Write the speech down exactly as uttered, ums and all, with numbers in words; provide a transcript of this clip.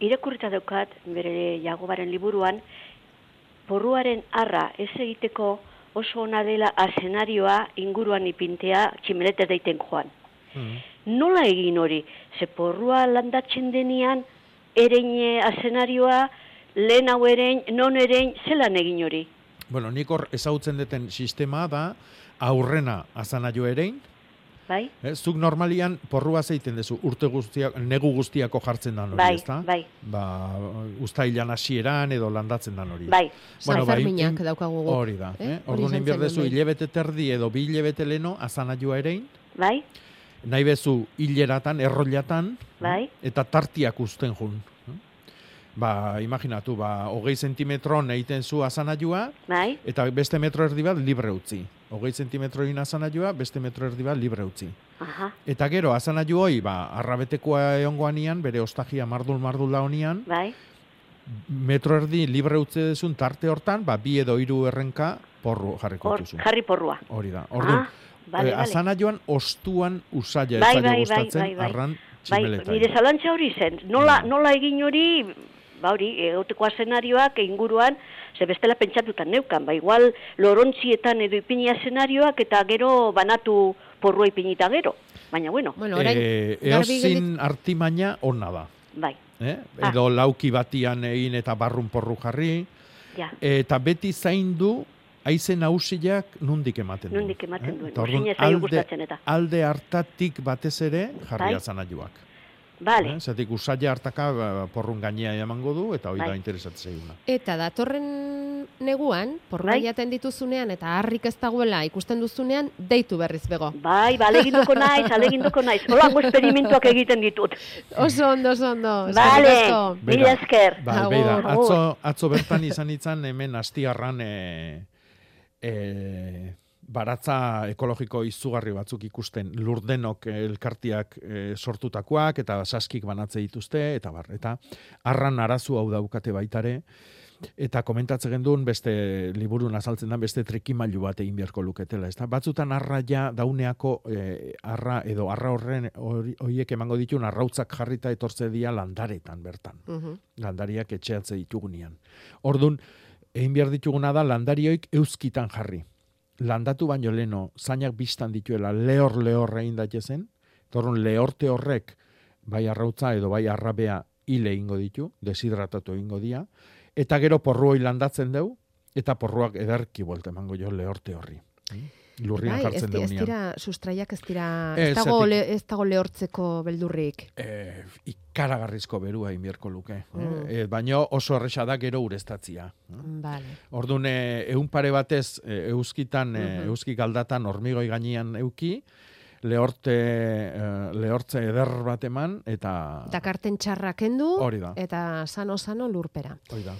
irakurrita daukat, bere Jagobaren liburuan, porruaren arra ez egiteko oso ona dela azenarioa inguruan ipintea tximelete daiten joan. Mm. Nola egin hori? Ze porrua landatzen denean, erein azenarioa, lehen hau erein, non erein, zelan egin hori? Bueno, nik hor ezagutzen duten sistema da, aurrena azanaio erein, bai? Eh, zuk normalian porrua zeiten dezu, urte guztiak, negu guztiako jartzen dan hori, bai, ezta? Bai, Ba, uztailan hasieran edo landatzen dan hori. Bai. Bueno, San Ferminak ba, daukagu. Hori da, eh? eh? Orduan egin behar dezu, hilebete terdi edo bi hilebete leno azanaioa erein. Bai. Nahi bezu hileratan, errollatan, bai. Eta tartiak uzten jun. Ba, imaginatu, ba, hogei zentimetron egiten zu azanaioa, bai. Eta beste metro erdi bat libre utzi. Hogei zentimetroin azanaioa, beste metro erdi bat libre utzi. Aha. Eta gero, azanaio hoi, ba, arrabetekoa egongoanian, bere ostagia mardul-mardula honian, bai. Metro erdi libre utzi dezun tarte hortan, ba, bi edo hiru errenka porru jarriko duzu. Jarri porrua. Hori da. Orduan, ah, vale, eh, azanaioan ostuan usaila bai, ez zaila bai, gustatzen, bai, bai, arran bai, tximeleta. nire zalantza hori zen. Nola, nola egin hori, ba hori, egoteko azenarioak inguruan, ze bestela pentsatutan neukan, ba igual lorontzietan edo ipini azenarioak eta gero banatu porrua ipinita gero. Baina bueno. bueno orain, eh, eozin artimaina ona da. Bai. Eh? Edo ah. lauki batian egin eta barrun porru jarri. Ja. Eta beti zaindu haize nagusiak nundik ematen duen. Nundik ematen duen. Eh? Orduan, alde, alde hartatik batez ere jarri bai. Azanaioak. Vale. Eh? Zatik usaila hartaka porrun gainea emango du eta hori bai. Da interesatzea eguna. Eta datorren neguan, porrua bai. Jaten dituzunean eta harrik ez dagoela ikusten duzunean, deitu berriz bego. Bai, ba, aleginduko naiz, aleginduko naiz. Holango esperimentuak egiten ditut. Oso ondo, oso ondo. Vale, mila esker. Bai, beida, atzo, atzo bertan izan itzan hemen astiarran e, e, baratza ekologiko izugarri batzuk ikusten lurdenok elkartiak e, sortutakoak eta saskik banatze dituzte eta bar, eta arran arazu hau daukate baitare eta komentatzen genduen beste liburun azaltzen da beste trikimailu bat egin beharko luketela, ezta? Batzutan arra ja dauneako e, arra edo arra horren horiek emango ditun arrautzak jarrita etortze dira landaretan bertan. Uh-huh. Landariak etxeatze ditugunean. Ordun egin behar dituguna da landarioik euskitan jarri. Landatu baino leno, zainak biztan dituela, lehor-lehor egin daitezen, torrun lehorte horrek, bai arrautza edo bai arrabea hile ingo ditu, deshidratatu ingo dia, eta gero porruoi landatzen deu, eta porruak ederki buelta emango jo lehorte horri. Lurrian bai, jartzen deu nian. Ez dira, sustraiak ez dira, ez, ez, dago, le, ez dago lehortzeko beldurrik. Eh, ikaragarrizko berua inbierko luke. Mm. Eh, baina oso erresa da gero ureztatzia. Vale. Orduan, ehun pare batez, eh, euskitan, eh, mm-hmm. euskik aldatan hormigoi gainean euki, lehorte, eh, lehortze eder bat eman, eta... Dakarten txarra kendu, hori da. eta sano-sano lurpera. Hori da.